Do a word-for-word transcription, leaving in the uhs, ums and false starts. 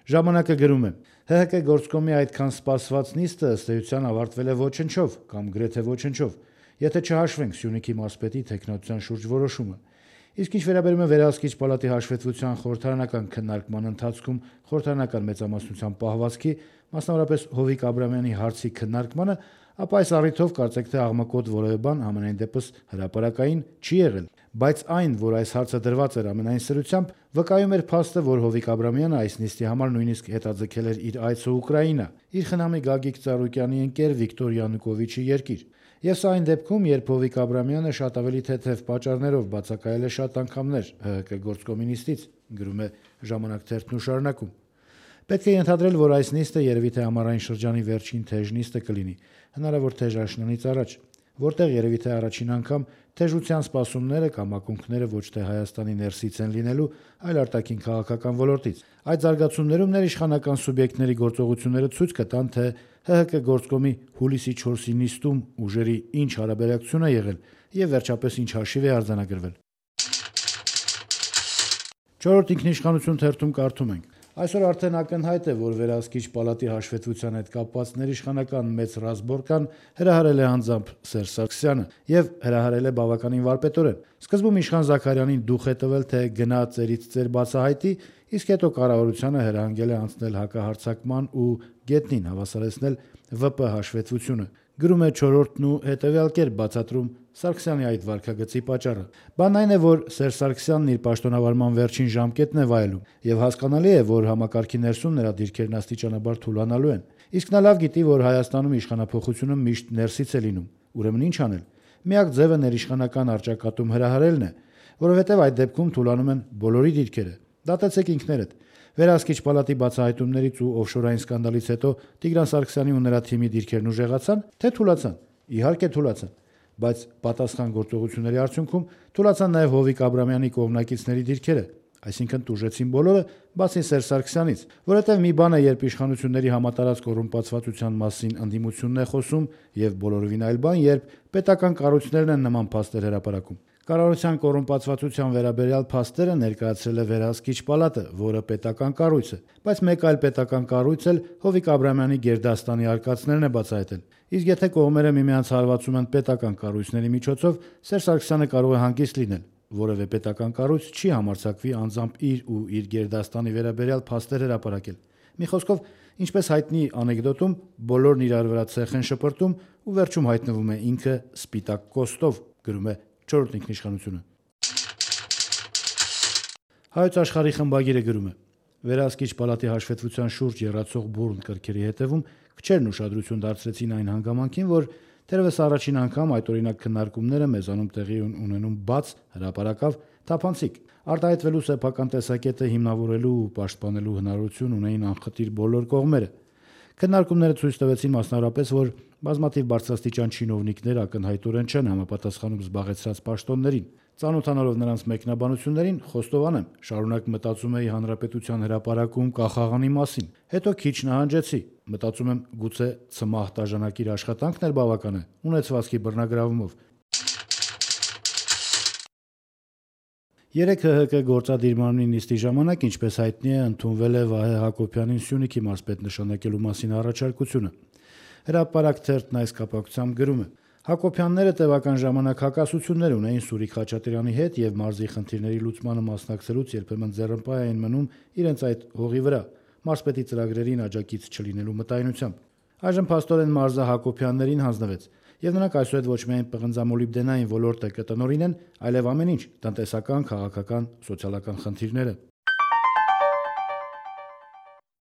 Ժամանակը գրում է. ՀՀԿ գործկոմի այդքան սպասված նիստը ըստ էության ավարտվել է ոչնչով կամ գրեթե ոչնչով, եթե չհաշվենք Սյունիքի մարզպետի թեկնածության շուրջ որոշումը։ Իսկ ինչ վերաբերում է վերահսկիչ պալատի հաշվետվության խորհրդարանական քննարկման ընթացքում խորհրդարանական մեծամասնության պահվածքի, մասնավորապես Հովիկ Աբրամյանի հարցի քննարկմանը, ապա այս առիթով կարծեք թե աղմկոտ որևէ բան համենայն դեպս հրապարակային չի եղել, բայց այն, որ այս հարցը դրված էր ամենայն սրությամբ, վկայում էր փաստը, որ Հովիկ Աբրամյանը այս նիստի համար նույնիսկ հետաձգել էր իր այցը Ուկրաինա, իր խնամի Գագիկ Ծառուկյանի ընկեր Վիկտոր Յանուկովիչի երկիր։ Եվ սա այն դեպքում, երբ Հովիկ Աբրամյանը շատ ավելի թեթև պատճառներով բացակայել է շատ անգամներ ՀՀԿ գործկոմի նիստից, գրում է Ժամանակ թերթն ու շարունակում. Պետք է ենթադրել, որ այս նիստը երևի թե ամառային շրջանի վերջին թեժ նիստը կլինի, հնարավոր թեժ աշնանից առաջ, որտեղ երևի թե առաջին անգամ թեժության սպասումները կամ ակունքները ոչ թե Հայաստանի ներսից են լինելու, այլ արտաքին քաղաքական ոլորտից։ Այդ զարգացումներում ներիշխանական սուբյեկտների գործողությունները ցույց կտան, թե ՀՀԿ գործկոմի հուլիսի չորսի նիստում ուժերի ինչ հարաբերակցություն է եղել եւ վերջապես ինչ հաշիվ է արձանագրվել։ Չորրորդ ինքնիշխանություն թերթում կարդում ենք. Այսօր արդեն ակնհայտ է, որ վերահսկիչ պալատի հաշվետվության հետ կապված ներիշխանական մեծ ռազմորկան հրահարել է անձամբ Սերժ Սարգսյանը եւ հրահարել է բավականին վարպետորեն։ Սկզբում Իշխան Զաքարյանին դուխ է տվել, թե գնա ծերից ծեր բացահայտի, իսկ հետո կառավարությանը հրահանգել է անցնել հակահարձակման ու գետնին հավասարեցնել ՎՊ հաշվետվությունը։ Գրում է չորրորդն ու հետեւյալ կերպ բացատրում Սարգսյանի այդ վարքագծի պատճառը։ Բանն այն է, որ Սերժ Սարգսյանն իր պաշտոնավարման վերջին ժամկետն է վայելում, եւ հասկանալի է, որ համակարգի ներսում նրա դիրքերն աստիճանաբար թուլանալու են։ Իսկ նա լավ գիտի, որ Հայաստանում իշխանափոխությունը միշտ ներսից է լինում, ուրեմն ինչ անել։ Միակ ձևը ներիշխանական առճակատում հրահարելն է, որովհետեւ այդ դեպքում թուլանում են բոլորի դիրքերը։ Դատեցեք ինքներդ։ Վերահսկիչ պալատի բացահայտումներից ու օֆշորային սկանդալից հետո Տիգրան Սարգսյանի ու նրա թիմի դիրքերն ուժեղացան, թե թուլացան։ Իհարկե թուլացան, բայց պատասխան գործողությունների արդյունքում թուլացան նաև Հովիկ Աբրամյանի կողմնակիցների դիրքերը, այսինքն տուժեցին բոլորը, բացի Սերժ Սարգսյանից, որովհետև մի բան է, երբ իշխանությունների համատարած կոռումպացվածության մասին ընդդիմությունն է խոսում, եւ բոլորովին այլ բան, երբ պետական կառույցներն են նման փաստեր հրապարակում։ Կառավարության կոռումպացվածության վերաբերյալ փաստերը ներկայացրել է վերահսկիչ պալատը, որը պետական կառույց է, բայց մեկ այլ պետական կառույց էլ Հովիկ Աբրամյանի գերդաստանի արկածներն է բացահայտել։ Իսկ եթե կողմերը միմյանց հարվածում են պետական կառույցների միջոցով, Սերժ Սարգսյանը կարող է հանգիստ լինել։ Որևէ պետական կառույց չի համարձակվի անձամբ իր ու իր գերդաստանի վերաբերյալ փաստեր հրապարակել։ Մի խոսքով, ինչպես հայտնի անեկդոտում, բոլորն իրար վրա ցեխ են շպրտում ու վերջում հայտնվում է ինքը սպիտակ կոստով, գրում է չորրորդ ինքնիշխանությունը։ Հայոց աշխարհի խմբագիրը գրում է. Վերահսկիչ պալատի հաշվետվության շուրջ եռացող բուռն կրքերի հետևում քչերն ուշադրություն դարձրեցին այն հանգամանքին, որ թերևս առաջին անգամ այդ օրինակ քննարկումները մեզանում տեղի ունենում բաց, հրապարակավ, թափանցիկ, արտահայտվելու սեփական տեսակետը հիմնավորելու ու պաշտպանելու հնարավորություն ունեին անխտիր բոլոր կողմերը։ Քննարկումները ցույց տվեցին մասնավորապես, որ բազմաթիվ բարձրաստիճան չինովնիկներ ակնհայտորեն չեն համապատասխանում զբաղեցրած պաշտոններին։ Ծանոթանալով նրանց մեկնաբանություններին, խոստովանեմ, շարունակ մտածում էի հանրապետության հրապարակում կախաղանի մասին։ Հետո քիչ նահանջեցի, մտածում եմ, գուցե ցմահ տաժանակիր աշխատանքն էլ բավական է, ունեցվածքի բռնագրավումով։ Երեք ՀՀԿ գործադիր մարմնի նիստի ժամանակ, ինչպես հայտնի է, ընդունվել է Վահե Հակոբյանին Սյունիքի մարզպետ նշանակելու մասին առաջարկությունը։ Հրապարակ թերթն այս կապակցությամբ գրում է. Հակոբյանները տևական ժամանակ հակասություններ ունեին Սուրիկ Խաչատրյանի հետ եւ մարզի խնդիրների լուծմանը մասնակցելուց երբեմն ձեռնպահ էին մնում իրենց այդ հողի վրա, մարզպետի ծրագրերին աջակից չլինելու մտայնությամբ։ Այժմ փաստորեն մարզը Հակոբյաններին հանձնվեց, եւ նրանք այսուհետ ոչ միայն պղնձամոլիբդենային ոլորտը կտնօրինեն, այլև ամեն ինչ՝ տնտեսական, քաղաքական, սոցիալական խնդիրները։